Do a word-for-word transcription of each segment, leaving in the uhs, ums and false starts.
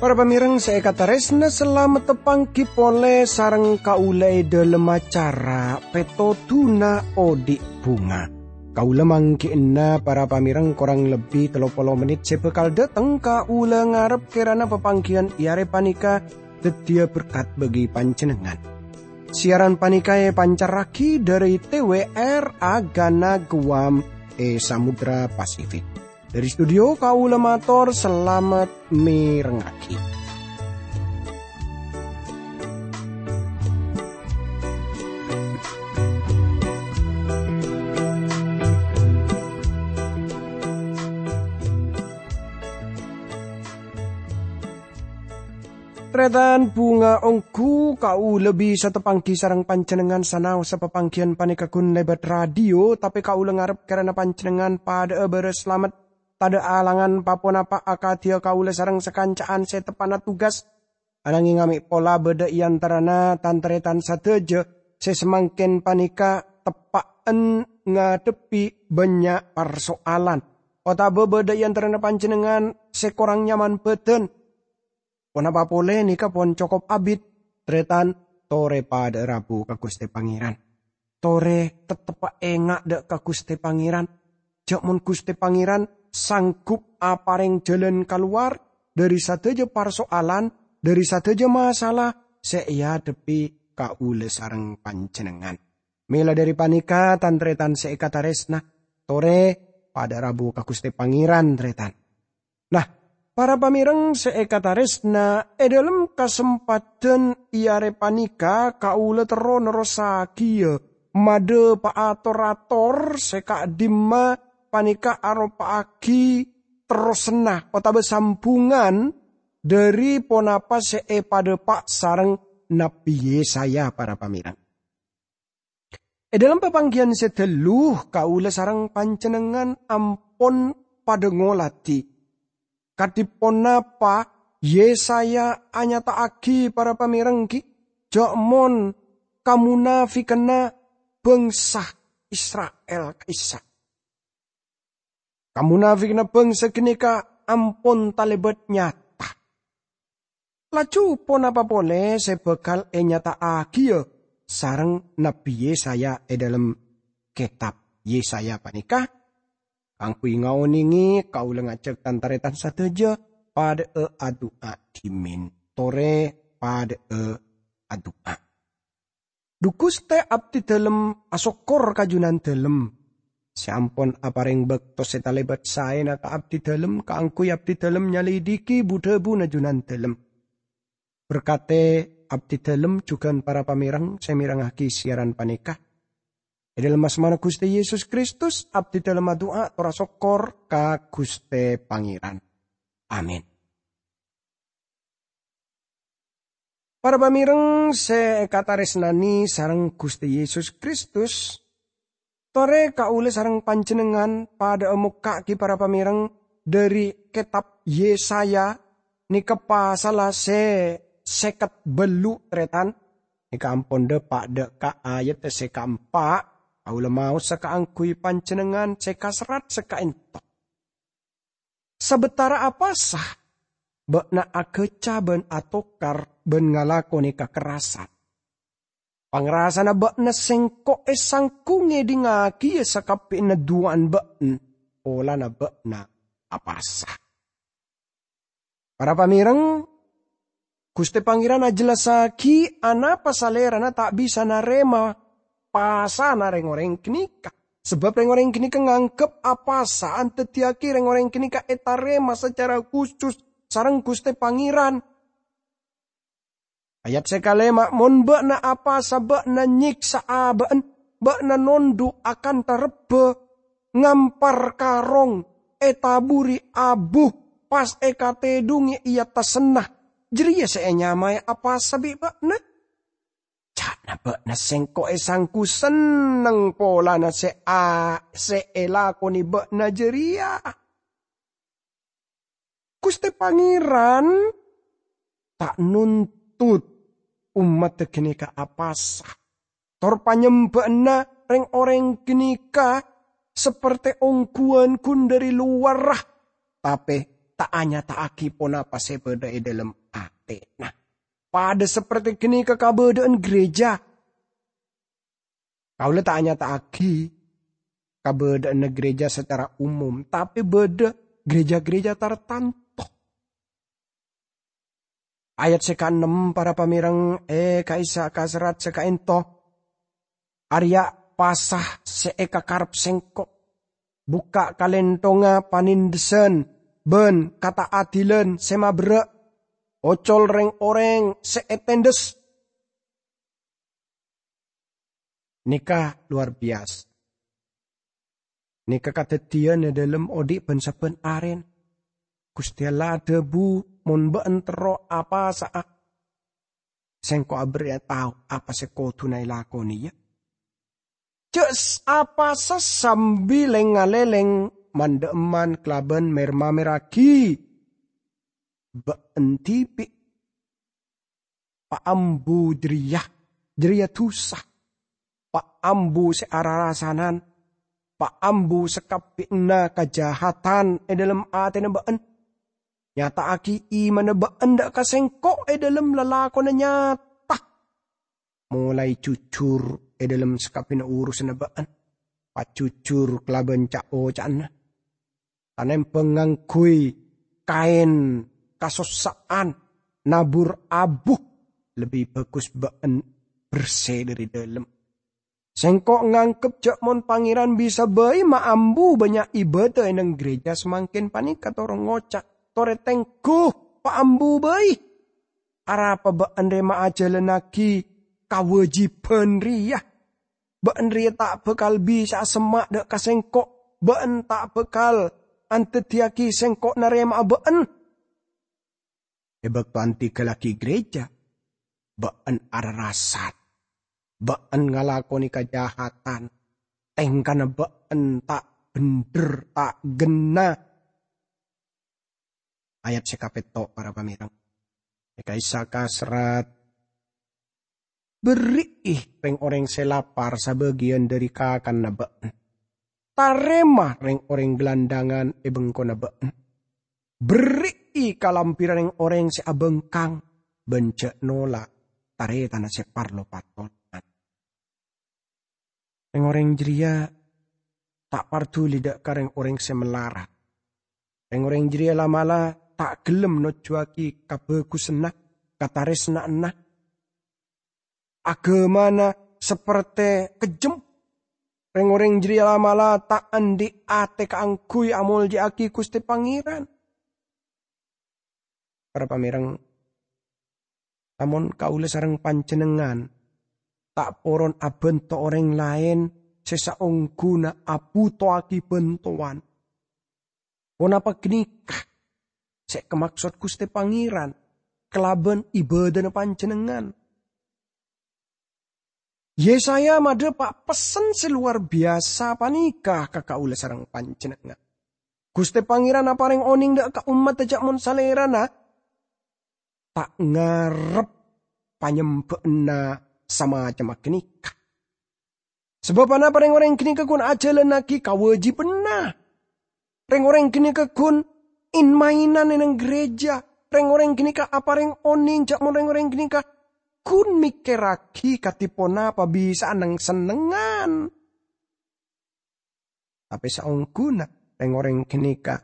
Para pamèrèng sè èkatarèsna, salamet tapanggi polè sareng kaulâ è dhâlem acara Pètodhuna Odi' Bhunga. Kaulâ mangghi'na para pamèrèng korang lebbi tello polo mennit sè bhâkal dhâteng. Kaulâ ngarep kèrana papangghiyân è arè panèka dhâddhiyâ berkat bagi panjhennengngan. Siaran panèka èpancarraghi dhâri T W R Agana Guam è Samudra Pasifik. Dhâri studio kaulâ mator salamet mèrengngaghi. Tarètan bhunga, ongghu kaulâ bisa tapanggi sareng panjhennengngan sanaossa papangghiyân panèka ghun lèbât radio, tapè kaulâ ngarep kèrana panjhennengngan padhâ'â bârâs salamet, tadhâ' alangan pa-ponapa akadhiyâ kaulâ sareng sakanca'an sè teppa'na tugas. Ananghing amè' pola bâdâ è antarana tan-tarètan sadhâjâ sè samangkèn panèka teppa'en ngadhebbhi bânnya' parsoalan, otabâ bâdâ è antarana panjhennengngan sè korang nyaman bhâdhân. Ponapa polè nèka pon cokop abit, tarètan, torè padhâ'â rabu ka Ghustè Pangèran. Torè tetteppa enga' dhâ' ka Ghustè Pangèran. Jhâ' mon Ghustè Pangèran sanggup aparèng jhâlân kalowar dhâri sadhâjâ parsoalan, dhâri sadhâjâ masalah sè èadhebbhi kaulâ sareng panjhennengngan. Mèla dhâri panèka, tan-tarètan sè èkatarèsna, torè padhâ'â rabu ka Ghustè Pangèran, tarètan. Nah, para pamèrèng sè èkatarèsna, è dhâlem kasempadhân è arè panèka kaulâ terro nerrossaghiyâ madhâpa'a tor-ator sè ka'dimma panèka aropa'aghi terrossanna otabâ sambhungan dhâri ponapa sè èpadhâpa' sareng Nabbhi Yesaya, para pamèrèng. È dhâlem papangghiyân sè dâllu, kaulâ sareng panjhennengngan ampon padhâ ngoladhi kadhi ponapa Yesaya anyata'aghi, para pamèrèng, ghi, jhâ' mon kamonafikanna bhângsa Isra'il ka'issa'. Kamonafikanna bhângsa ghânèka ampon talèbât nyata. Laju ponapa polè sè bhâkal ènyata'aghiyâ sareng Nabbhi Yesaya è dhâlem kètab Yesaya panèka? Kaangghuy ngaonèngè, kaulâ ngajhâk tan-tarètan sadhâjâ padhâ'â adu'a dhimèn. Torè padhâ'â adu'a. Dhu Ghustè, abdhidhâlem asokkor ka Jhunandhâlem sè ampon aparèng bâkto sè talèbât saèna ka abdhidhâlem kaangghuy abdhidhâlem nyalèdhighi bu-dhâbuna Jhunandhâlem. Berkatè abdhidhâlem jhughân para pamèrèng sè mèrengngaghi siaran panèka. È dhâlem asmana Ghustè Yesus Kristus, abdhidhâlem adu'a tor asokkor ka Ghustè Pangèran. Amin. Para pamèrèng sè èkatarèsnanè sareng Ghustè Yesus Kristus, torè kaulâ sareng panjhennengngan padhâ'â mokka'aghi para pamèrèng dhâri kètab Yesaya, nèka pasalla sè sèket bâllu', tarètan. Nèka ampon dhâpa' dhâ' ka ayat sè kaempa', kaulâ maosa kaangghuy panjhennengngan sè kaserrat sè ka'ènto. Sabâtara apasa, bâ'na aghâca bân atokar bân ngalakonè kakerrasan. Pangrasana bâ'na sèngko' èsangghu ngèdhingngaghi sakabbhiyânna du'ana bâ'na polana bâ'na apasa. Para pamèrèng, Ghustè Pangèran ajhellassaghi anapa Salèrana ta' bisa narèma pasana rèng-orèng ghânèka. Sabâb rèng-orèng ghânèka nganggep apasa adhâddhiyâghi rèng-orèng ghânèka ètarèma sacara khusus sareng Ghustè Pangèran. Ayat sè kalèma', "Mon bâ'na apasa, bâ'na nyèksa abâ'na, bâ'na nondhu' akantha rebbhâ, ngampar karong, ètaburi abu, pas èkatèdhungè è attasanna. Jârèya sè ènyamaè apasa bi' bâ'na?" Ca'na bâ'na sèngko' èsangghu senneng polana sè a-, sè èlakonè bâ'na jârèya. Ghustè Pangèran ta' non-, pattot ommadda ghânèka apasa. Tor panyembhâ'ânna rèng-orèng ghânèka saperte ongghuwân ghun dhâri lowarra, tapè ta' anyata'aghi ponapa sè bâdâ è dhâlem atèna. Padâ saperte ghânèka kabâdâ'ân gereja. Kaulâ ta' anyata'aghi kabâdâ'ânna gereja sacara umum, tapè bâdâ gereja-gereja tartanto. Ayat sè kaennem, para pamèreng, è ka'issa' ka serrat sè kaènto. Arèya pasa sè èkakarep Sèngko'. Bukka' kalènthongnga panèndhâsân bân kata'adilan sè maberrâ'. Ocol rèng-orèng sè ètèndhâs. Nèka lowar biyasa. Nèka kadhâddhiyân è dhâlem odi' bân-sabbhân arèna. Ghustè Allah adhâbu, "Mon bâ'ân terro apasa'a, Sèngko' aberri'a tao apa sè kodhuna èlakonè, yâ. Jhâ' s-, apasa sambi lèng-ngalèlèng man-dhâ'emman kalabân mèr-mamèrraghi bâ'ân dhibi'." Paambu jârèya, jârèya dhusa. Paambu sè ararasanan, paambu sakabbhiyanna kajahatan è dhâlem atèna bâ'ân. Nyata'aghi imanna bâ'ân dâ' ka Sèngko' è dhâlem lalakonna nyata. Molaè jujur è dhâlem sakabbhiyânna urusanna bâ'ân. Pajujur kalabân ca'-oca'anna. Tanèmbhâng ngangghuy kaèn kasossa'an, nabur abu, lebbi bhâghus bâ'ân bersè dhâri dhâlem. Sèngko' nganggep jhâ' mon Pangèran bisa bhâi maambu bânnya' ibâdâ è nèng gereja samangkèn panèka, tor ngoca', "Torè tengghu, paambu bhâi." Arapa bâ'ân rèya maajhâlannaghi kawâjibhân rèya? Bâ'ân rèya ta' bhâkal bisa'a semma' dâ' ka Sèngko'. Bâ'ân ta' bhâkal andhâddhiyâghi Sèngko' narèma'a bâ'ân. È bâkto anḍighâllaghi gereja, bâ'ân ararasan. Bâ'ân ngalakonè kajahatan. Tèngkana bâ'ân ta' bhendher, ta' ghenna. Ayat sè kapètto', para pamèreng. È ka'issa' ka serrat, "Berri'i rèng-orèng sè lapar sabâgiyân dhâri kakanna bâ'ân. Tarèma rèng-orèng glandhângan è bengkona bâ'ân. Berri'i kalambhirra rèng-orèng sè abhângkang, bân jhâ' nola' tarètanna sè parlo patolongan." Rèng-orèng jârèya ta' parduli dâ' ka rèng-orèng sè malarat. Rèng-orèng jârèya la'-mala' ta' ghellem nojjhuwâghi kabhâghusânna, katarèsnaanna. Aghâmana saperte kejjhem. Rèng-orèng jârèya la'-mala' ta' anḍi' atè kaangghuy amolja'aghi Ghustè Pangèran. Para pamèreng, lamon kaulâ sareng panjhennengngan ta' poron abhânto orèng laèn sè saongghuna abhutowaghi bhântowan, ponapa ghânèka sè èkamaksod Ghustè Pangèran kalabân ibâdâna panjhennengngan? Yesaya madhâpa' pessen sè lowar biyasa panèka ka kaulâ sareng panjhennengngan. Ghustè Pangèran aparèng onèng dâ' ka ommaddhâ jhâ' mon Salèrana ta' ngarep panyembhâ'ânna samacemma ghânèka. Sabâb ponapa rèng-orèng ghânèka ghun ajhâlannaghi kawâjibhânna? Rèng-orèng ghânèka ghun in-maènan è nèng ghârèjâ. Rèng-orèng ghânèka aparèng onèng jhâ' mon rèng-orèng ghânèka ghun mèkkèrraghi kadhi ponapa bisa'a neng-sennengngan. Tapè saongghuna rèng-orèng ghânèka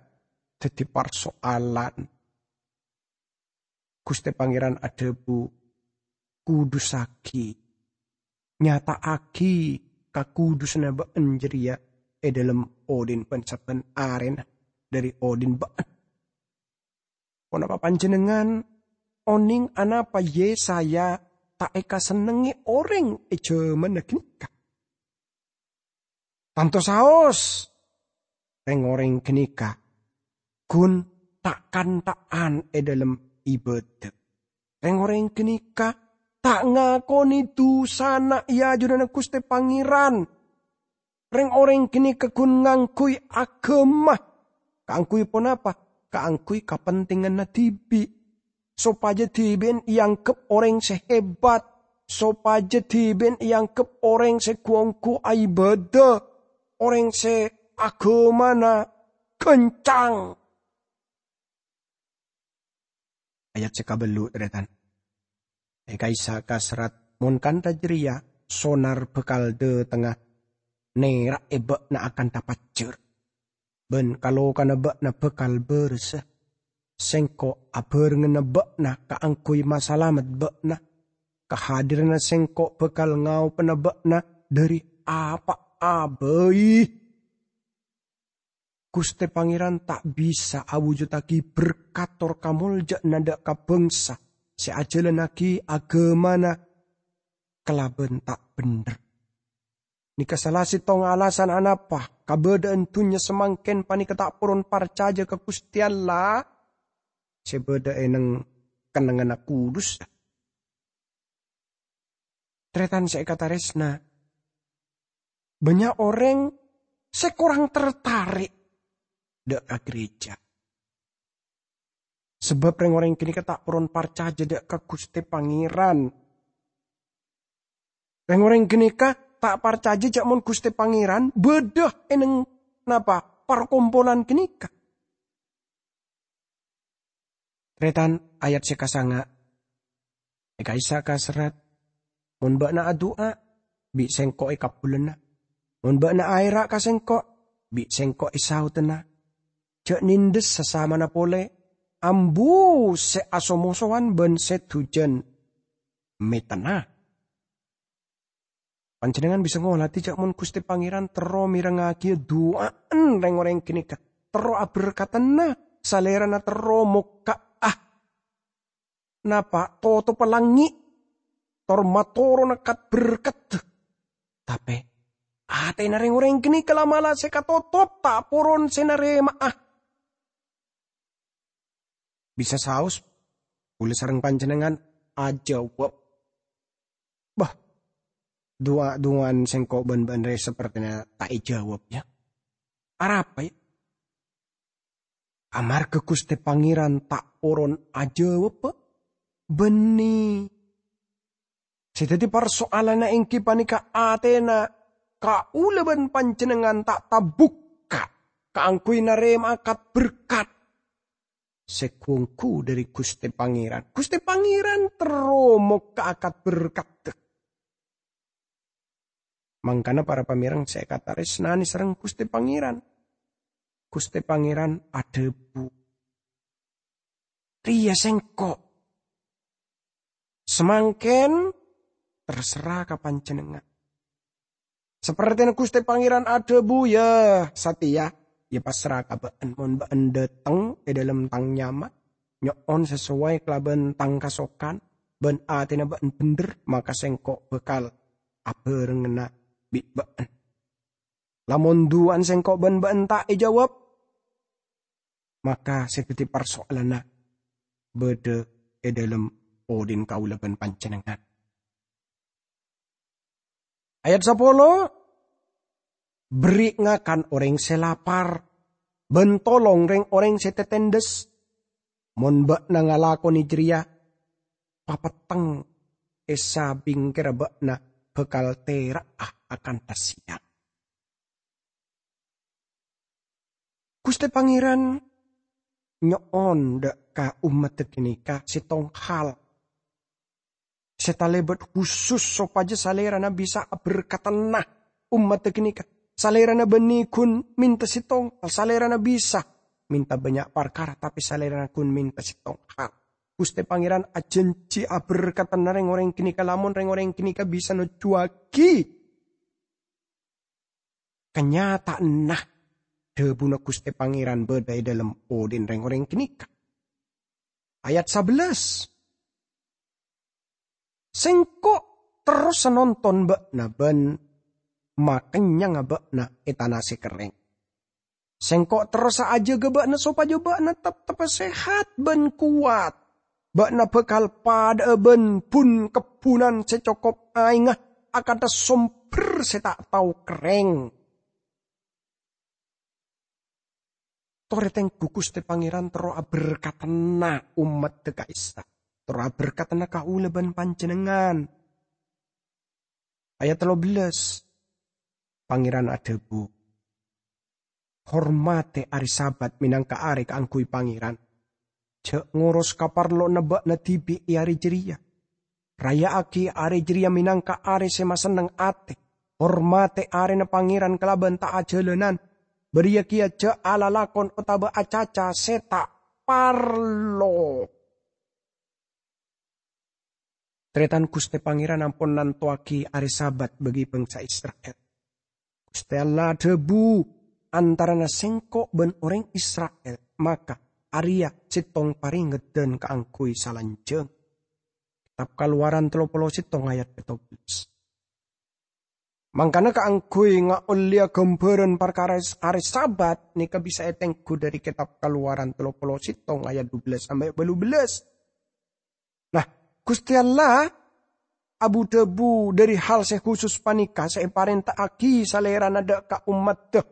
dhâddhi parsoalan. Ghustè Pangèran adhâbu, "Kudussaghi, nyata'aghi kakudusanna bâ'ân jârèya è dhâlem oḍi'na bân sabbhân arèna dhâri oḍi'na bâ'ân." Ponapa panjhennengngan onèng anapa Yesaya ta' èkasennengngè orèng è jhâmanna ghânèka? Tanto saos, rèng-orèng ghânèka ghun ta'-kanta'an è dhâlem ibâdâ. Rèng-orèng ghânèka ta' ngakonè dhusana è ajunanna Ghustè Pangèran. Rèng-orèng ghânèka ghun ngangghuy aghâma. Kaangghuy ponapa? Kaangghuy kapentènganna dhibi'. sopajâ dhibi'en èangghep orèng sè hebat, sopajâ dhibi'en èangghep orèng sè ghu-ongghu aibâdâ, orèng sè aghâmana ghâncang. Ayat sè kabellu', tarètan. È ka'issa' kaserrat, "Mon kantha jârèya, sonar bhâkal dâtengnga nèra'è bâ'na akantha pajjhâr, bân kalokana bâ'na bhâkal bârâsa. Sèngko' abhârengnganna bâ'na kaangghuy masalamet bâ'na. Kahadiranna Sèngko' bhâkal ngaobâna bâ'na dâri apa'a bhâi." Ghustè Pangèran ta' bisa awujuddhâghi berkat tor kamoljâ'ânna dâ' ka bhângsa sè ajhâlannaghi aghâmana kalabân ta' bhendher. Nèka sala sèttong alasan anapa kabâdâ'ân dhunnya samangkèn panèka ta' poron parcajâ ka Ghustè Allah sè bâdâ è neng-kennengnganna kudus. Tarètan sè èkatarèsna, bânnya' orèng sè korang tertarik dâ' ka gereja. Sabâb rèng-orèng ghânèka ta' poron parcajâ dâ' ka Ghustè Pangèran. Rèng-orèng ghânèka ta' parcajâ jâ' mon Ghustè Pangèran bâdâ è neng, napa, parkompolan ghânèka. Tarètan, ayat sè kasanga'. È ka'issa' kaserrat, "Mon bâ'na adu'a, bi' Sèngko' èkabulâna. Mon bâ'na aèra' ka Sèngko', bi' Sèngko' èsaodhâna. Jâ' nèndhâs sasamana polè, ambu sè aso-mosowan bân sè dhujân mètenna." Panjhennengngan bisa ngolatè jâ' mon Ghustè Pangèran terro mèrengngaghi du'a'an rèng-orèng ghânèka, terro aberkadhâna, Salèrana terro mokka'a, napa, totopa langngè', tor matorona kat-berkat. Tapè, atèna rèng-orèng ghânèka la'-mala' sè katotop, ta' poron sè narèma'a. Bisa saos, kaulâ sareng panjhennengngan ajâwâb. Bâh, du'a-du'aan sèngko' bân bâ'na rè sapertèna ta' èjâwâb, ya. Arapa, ya? Amarghâ Ghustè Pangèran ta' poron ajâwâbbhâ, bânnè. Sè dhâddhi parsoalanna èngghi panèka atèna kaulâ bân panjhennengngan ta' tabukka' kaangghuy narèma'a kat-berkat sè ghu-ongghu dâri Ghustè Pangèran. Ghustè Pangèran terro mokka'a kat-berkadhâ. Mangkana para pamèreng sè èkatarèsnanè sareng Ghustè Pangèran, Ghustè Pangèran adhâbu, "Rèya sèngko'. Samangkèn terserra ka panjhennengngan." Sapertèna Ghustè Pangèran adhâbu, "Ya, satèya, ya passerra ka bâ'na. Mon bâ'na dâteng è dâlem tang nyama, nyo'on sasoway kalabân tang kasokan, bân atèna bâ'na bhendher, maka sèngko' bhâkal abhârengnganna bi' bâ'na. Lamon du'a'an sèngko' bân bâ'na ta' èjâwâb, maka sè dhâddhi parsoalanna bâdâ è dâlem odhi'na kaulâ bân panjhennengngan." Ayat sapolo, "Berri' ngakan orèng sè lapar, bân tolong rèng-orèng sè tètèndhâs. Mon bâ'na ngalakonè jârèya, papetteng è sabingkerra bâ'na bhâkal tèra'a akantha sèyang." Ghustè Pangèran nyo'on dâ' ka ommaddhâ ghânèka sèttong hal sè talèbât khusus sopajâ Salèrana bisa aberkadhâna ommaddhâ ghânèka. Salèrana bânnè ghun mènta sèttong hal, Salèrana bisa mènta bânnya' parkara, tapè Salèrana ghun mènta sèttong hal. Ghustè Pangèran ajhânjhi aberkadhâna rèng-orèng ghânèka lamon rèng-orèng ghânèka bisa nojjhuwâghi kanyata'anna dhâbuna Ghustè Pangèran bâdâ è dâlem odhi'na rèng-orèng ghânèka. Ayat sabellâs, "Sèngko' terrosa nonton bâ'na bân makennyangnga bâ'na è tana sè kerrèng. Sèngko' terrosa ajâgâ bâ'na sopajâ bâ'na teptebbhâ sehat bân kowat. Bâ'na bhâkal padhâ'â bân bun-kebbhunan sè cokop aèngnga akantha sombher sè ta' tao kerrèng." Torè tengghu Ghustè Pangèran terro aberkadhâna ommaddhâ ka'issa', terro aberkadhâna kaulâ bân panjhennengngan. Ayat tello bellas, Pangèran adhâbu, "Hormatè arè Sabat mènangka arè kaangghuy Pangèran. Jhâ' ngoros kaparlowanna bâ'na dhibi' è arè jârèya. Raya'aghi arè jârèya mènangka arè sè masenneng atè. Hormatè arèna Pangèran kalabân ta' ajhâlânan. Bâriyâ kèya jhâ' alalakon otabâ acaca sè ta' parlo." Tarètan, Ghustè Pangèran ampon nantowaghi arè Sabat bagi bangsa Isra'il. Ghustè Allah adhâbu, "Antarana Sèngko' bân orèng Isra'il, maka arèya sèttong parèngeddhân kaangghuy salanjhâng." Kitab Kalowaran tello polo sèttong ayat pètto bellas. Mangkana kaangghuy ngaollèya ghâmbhârân parkara arè Sabat nèka bisa ètengghu dhâri Kitab Kalowaran tello polo sèttong ayat dubellas sampè' bâllu bellas. Nah, Ghustè Allah abu-dhâbu dhâri hal sè khusus panèka sè èparènta'aghi Salèrana dhâ' ka ommaddhâ.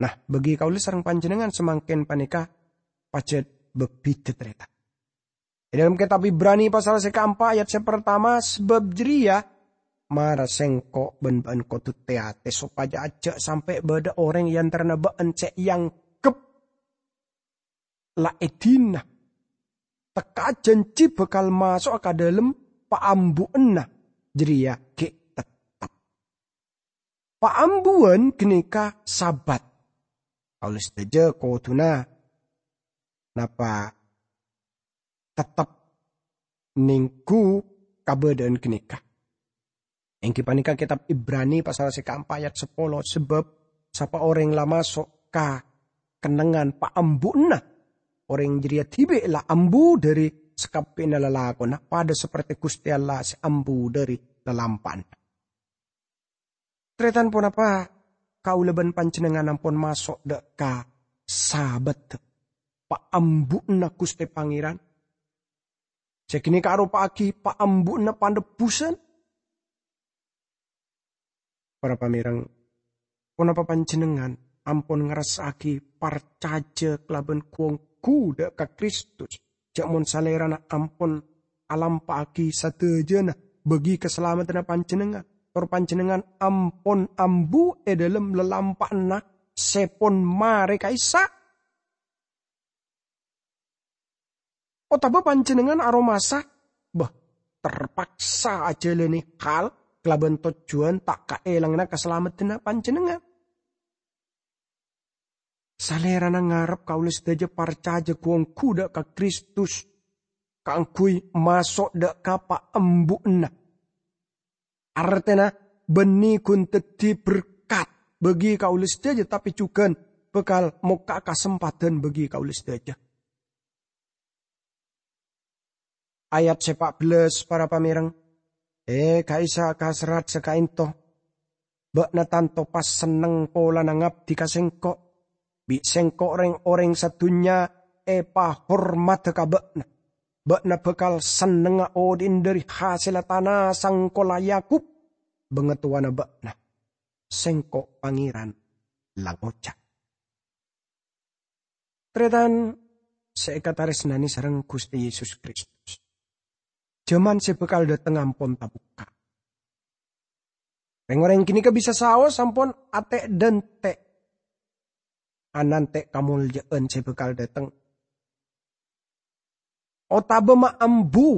Nah, bagi kaulâ sareng panjhennengngan samangkèn panèka pajhât bâbidhâ, tarètan. È dhâlem Kètab Ibrani pasal sè kaempa' ayat sè partama, "Sabâb jârèya, mara sèngko' bân bâ'na kodhu tè-atè sopajâ jhâ' sampè' bâdâ orèng è antarana bâ'na sè èangghep la èdina. Tekka'a janji bhâkal maso'a ka dhâlem paambu'anna jârèya ghi' teptep." Paambuwân ghânèka Sabat. Kaulâ sadhâjâ kodhuna napa teptep nèngghu kabâdâ'ân ghânèka. Èngghi panèka Kètab Ibrani pasal sè kaempa' ayat sapolo, sabâb sapa orèng la maso' ka kennengngan paambu'anna, orèng jârèya dhibi' la ambu dhâri sakabbhiyânna lalakonna, padâ saperte Ghustè Allah sè ambu dhâri lalampa'anna. Tarètan, ponapa kaulâ bân panjhennengngan ampon maso' dhâ' ka Sabat, paambu'anna Ghustè Pangèran? Sè ghânèka aropa'aghi paambu'anna panebbhusân. Para pamèreng, ponapa panjhennengngan ampon ngarassa'aghi parcajâ kalabân ghu-ongghu dhâ' ka Kristus? Jhâ' mon Salèrana ampon alampa'aghi sadhâjâna bâgi kasalameddhânna panjhennengngan, tor panjhennengngan ampon ambu è dhâlem lalampa'anna sè pon marè ka'issa'? Otabâ panjhennengngan aromasa, bâh, terpaksa ajhâlânè hal kalabân tojjhuwân ta' kaèlangnga kasalameddhânna panjhennengngan? Salèrana ngarep kaulâ sadhâjâ parcajâ ghu-ongghu dhâ' ka Kristus kaangghuy maso' dhâ' ka paambu'anna. Artèna, bânnè ghun dhâddhi berkat bâgi kaulâ sadhâjâ, tapè jhughân bhâkal mokka'a kasempadhân bâgi kaulâ sadhâjâ. Ayat sè pa' bellâs, para pamèreng. È, ka'issa' ka serrat sè ka'ènto, bâ'na tanto pas senneng polana ngabdi ka sèngko'. Bi' sèngko' rèng-orèng sadhunnya èpahormadhâ ka bâ'na. Bâ'na bhâkal sennengnga odi'na dhâri hasèlla tana sangkola Yakub. Bangatowana bâ'na, sèngko' Pangèran la ngoca'. Tarètan sè èkatarèsnanè sareng Ghustè Yesus Kristus, jhâman sè bhâkal dhâteng ampon tabukka'. Rèng-orèng ghânèka bisa saos ampon atè'-dântè' anantè' kamoljâ'ân sè bhâkal dhâteng, otabâ maambu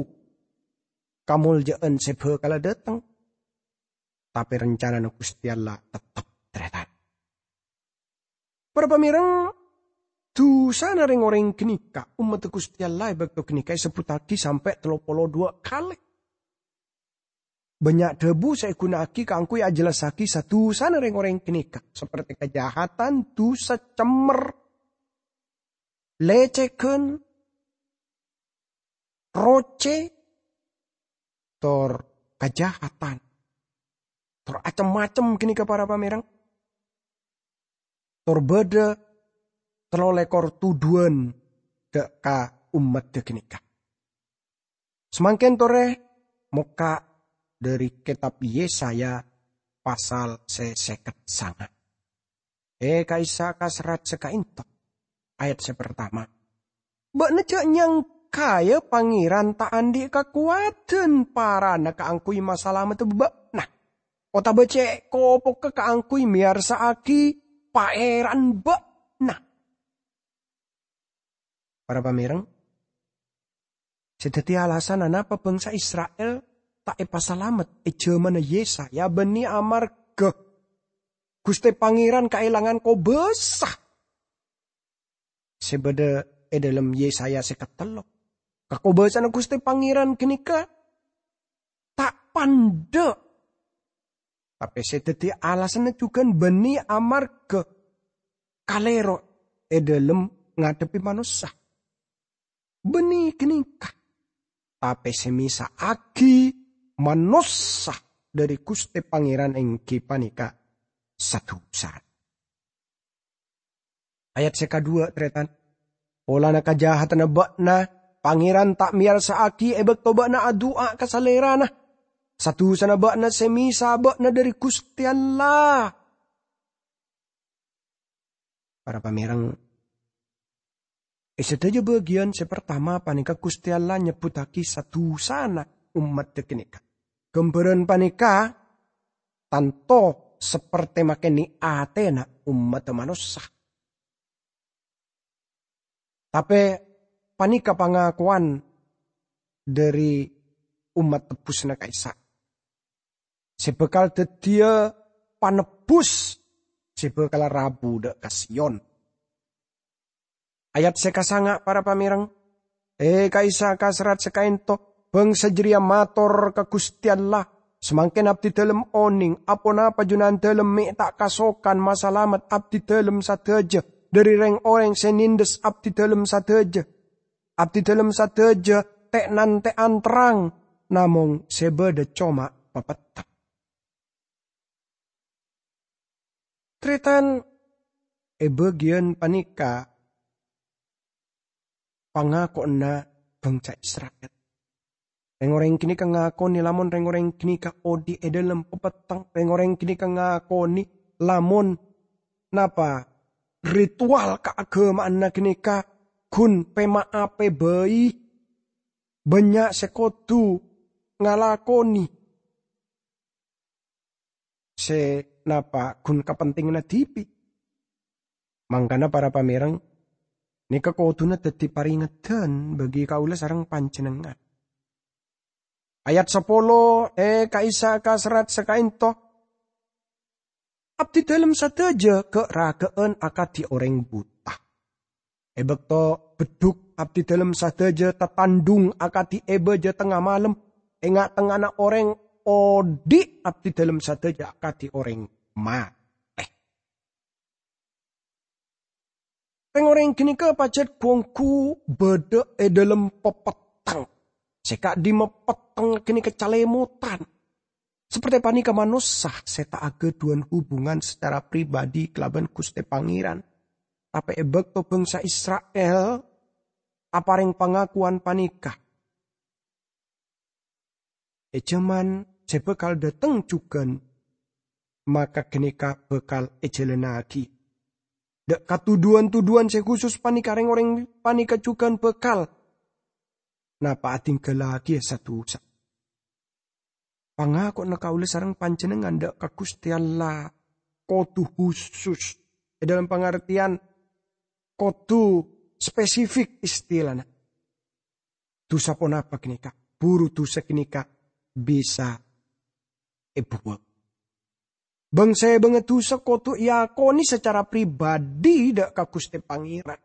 kamoljâ'ân sè bhâkal dhâteng, tapè rancanana Ghustè Allah teptep, tarètan. Para pamèreng, dhusana rèng-orèng ghânèka, ommaddhâ Ghustè Allah è bâkto ghânèka èsebbhuttaghi sampè' tello polo duwâ' kalè. Bânnya' dhâbu sè èghuna'aghi kaangghuy ajhellassaghi sa-dhusana rèng-orèng ghânèka, saperte kajahatan, dhusa, cemmer, lècèghân, rocè, tor kajahatan, tor acem-macem ghânèka, para pamèreng. Tor bâdâ tello lèkor tudhuwân dhâ' ka ommaddhâ ghânèka. Samangkèn torè mokka' dhâri Kètab Yesaya pasal sè sèket sanga'. E ka'issa' ka serrat sè ka'ento, ayat sè partama. Bâ'na jhâ' nyangkaè Pangèran ta' andi' kakowadhân parana kaangghuy masalamedhâ bâ'na, otabâ cè' kopokka kaangghuy mèyarsa'aghi paèran bâ'na. Para pamèreng, sè dhâddhi alasanna napa bhângsa Isra'il ta' èpasalamet è jhâmanna Yesaya bânnè amarghâ Ghustè Pangèran kaèlangan kobâsa sè bâdâ è dhâlem Yesaya sè katello. Kakobâsana Ghustè Pangèran ghânèka ta' pandâ', tapè sè dhâddhi alasanna jhughân bânnè amarghâ kalèro è dhâlem ngadhebbhi manossa. Bânnè ghânèka, tapè sè mèsa'aghi manossa dhâri Ghustè Pangèran èngghi panèka sadhusana. Ayat sè kadhuwâ', tarètan. Polana kajahatanna bâ'na, Pangèran ta' mèyarsa'aghi è bâkto bâ'na adu'a ka Salèrana. Sadhusana bâ'na sè mèsa bâ'na dhâri Ghustè Allah. Para pamèreng, è sadhâjâ bâgiyân sè partama panèka Ghustè Allah nyebbhuttaghi sadhusana ommaddhâ ghânèka. Ghâmbhârân panèka tanto sapertè makènè atèna ommaddhâ manossa. Tapè panèka pangakowan dhâri ommat tebbhusna ka'issa' sè bhâkal dhâddhiyâ panebbhus sè bhâkal rabu dhâ' ka Sion. Ayat sè kasanga', para pamèreng, e ka'issa' ka serrat sè ka'ento, bhângsa jârèya mator ka Ghustè Allah, "Samangkèn abdidhâlem onèng, aponapa Junandhâlem mè' ta' kasokan masalamet abdidhâlem sadhâjâ dhâri rèng-orèng sè nèndhâs abdidhâlem sadhâjâ? Abdidhâlem sadhâjâ tè'-nantè'an terrang, namong sè bâdâ coma papetteng." Tarètan, è bâgiyân panèka pangakowanna bhângsa Isra'il. Rèng-orèng ghânèka ngakonè lamon rèng-orèng ghânèka odi' è dhâlem papetteng. Rèng-orèng ghânèka ngakonè lamon napa ritual kaaghâma'anna ghânèka ghun pèma'a pèbâi. Bânnya' sè kodhu ngalakonè. Sè napa ghun kapentinganna dhibi'. Mangkana, para pamèreng, nèka kodhuna dhâddhi parèngedhân bagi kaulâ sareng panjhennengngan. Ayat sapolo, e ka'issa' ka serrat sè ka'ento, "Abdidhâlem sadhâjâ ghâ'-râghâ'ân akadhi orèng buta. È bâkto beddhuk abdidhâlem sadhâjâ tatandhung akadhi è bâjâ tengnga malem, è nga'-tengnga'anna orèng odi' abdidhâlem sadhâjâ akadhi orèng matè." Rèng-orèng ghânèka pajhât ghu-ongghu bâdâ è dhâlem papetteng. Sè ka'dimma petteng ghânèka calèmotan. Sapertè panèka manossa sè ta' aghâdhuwân hubungan sacara pribadi kalabân Ghustè Pangèran. Tapè è bâkto bhângsa Isra'il aparèng pangakowan panèka, è jhâman sè bhâkal dhâteng jhughân, maka ghânèka bhâkal èjhâlânnaghi. Dâ' ka tuduwân-tuduwân sè khusus panèka, rèng-orèng panèka jhughân bhâkal napa adhingghâllaghi sadhusa. Pangakowanna kaulâ sareng panjhennengngan dâ' ka Ghustè Allah kodhu husus, è dhâlem pangartèyan kodhu spesifik istilana. Dhusa ponapa ghânèka? Buru dhusa ghânèka bisa èbuwâng. Bâng-sèbângnga dhusa kodhu èakonè sacara pribadi dâ' ka Ghustè Pangèran.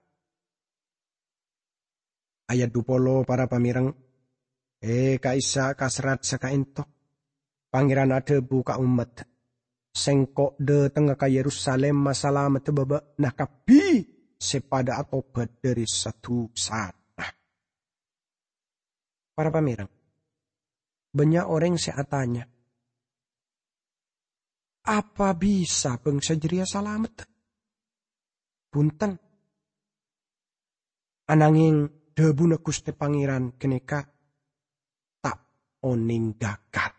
Ayat dhu polo, para pamèreng, e ka'issa' ka serrat sè ka'ento, Pangèran adhâbu ka ommaddhâ, "Sèngko' dhâtengnga ka Yerusalim masalamedhâ bâbâ'na kabbhi sè padâ atobhât dhâri sadhusana." Para pamèreng, bânnya' orèng sè atanya, "Apa bisa bângsa jârèya salamet?" Bhunten. Anangèng dhâbuna Ghustè Pangèran ghânèka ta' onèng ghâghâr.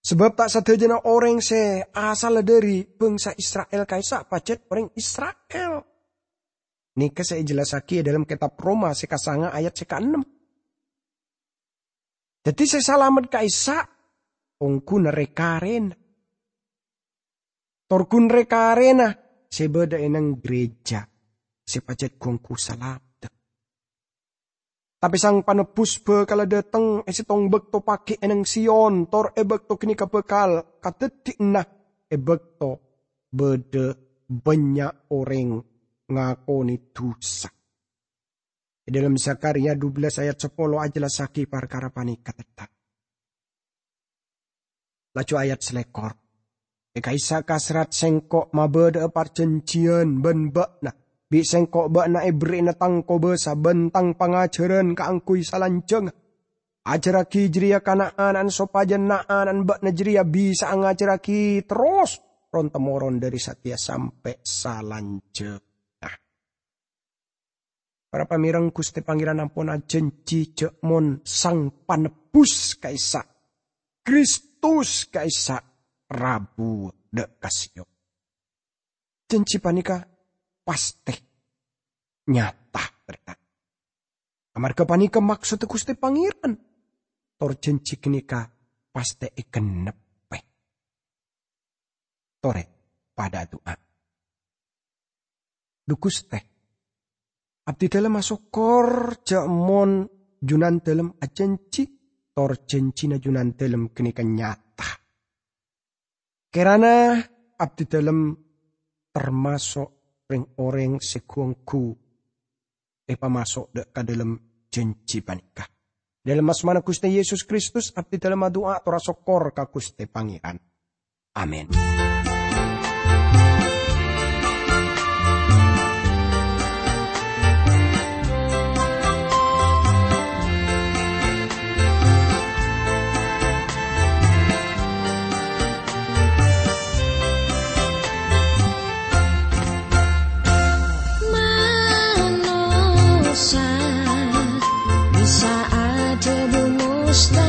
Sabâb ta' sadhâjâna orèng sè asalla dhâri bhângsa Isra'il ka'issa' pajhât orèng Isra'il. Nèka sè èjellassaghi è dhâlem kètab Roma sè kasanga ayat sè kaennem. Dhâddhi sè salamet ka'issa' ongghu rè-karèna. Tor ghun rè-karèna sè bâdâ è neng gereja sè pajhât ongghu salamet. Tapè Sang Panebbhus bhâkalla dâteng è sèttong bâkto paghi' è neng Sion, tor è bâkto ghânèka bhâkal kadhâddhiyânna è bâkto bâdâ bânnya' orèng ngakonè dhusa. È dhâlem Zakharia dubellâs ayat sapolo ajellassaghi parkara panèka, tetta. Laju ayat salèkor. È ka'issa' kaserrat Sèngko' mabâdâ'â parjhânjhiyân bân bâ'na. Bi' Sèngko' bâ'na èberri'ana Tang kobâsa bân Tang pangajhârân kaangghuy salanjhângnga. Ajhârraghi jârèya ka na'-ana'na sopajâ na'-ana'na bâ'na jârèya bisa'a ngajhârraghi terros ron-temmoron dhâri satèya sampè' salanjhângnga. Para pamèreng, Ghustè Pangèran ampon ajhânjhi jhâ' mon Sang Panebbhus ka'issa', Kristus ka'issa' rabu dâ' ka Sion. Jhânjhi panèka pastè nyata, tarètan. Amarghâ panèka maksoddhâ Ghustè Pangèran. Tor jhânjhi ghânèka pastè ègennebbhi. Torè, padâ adu'a. Dhu Ghustè, abdhi dhâlem asokkor jhâ' mon Junandhâlem ajhânjhi, tor jhânjhina Junandhâlem ghânèka nyata. Kèrana abdhi dhâlem tamaso' rèng-orèng sè ghu-ongghu èpamaso' dâ' ka dhâlem jhânjhi panèka. Dhâlem asmana Ghustè Yesus Kristus, abdhi dhâlem adu'a tor asokkor ka Ghustè Pangèran. Amin. Manossa bisa adhâbu mustahil.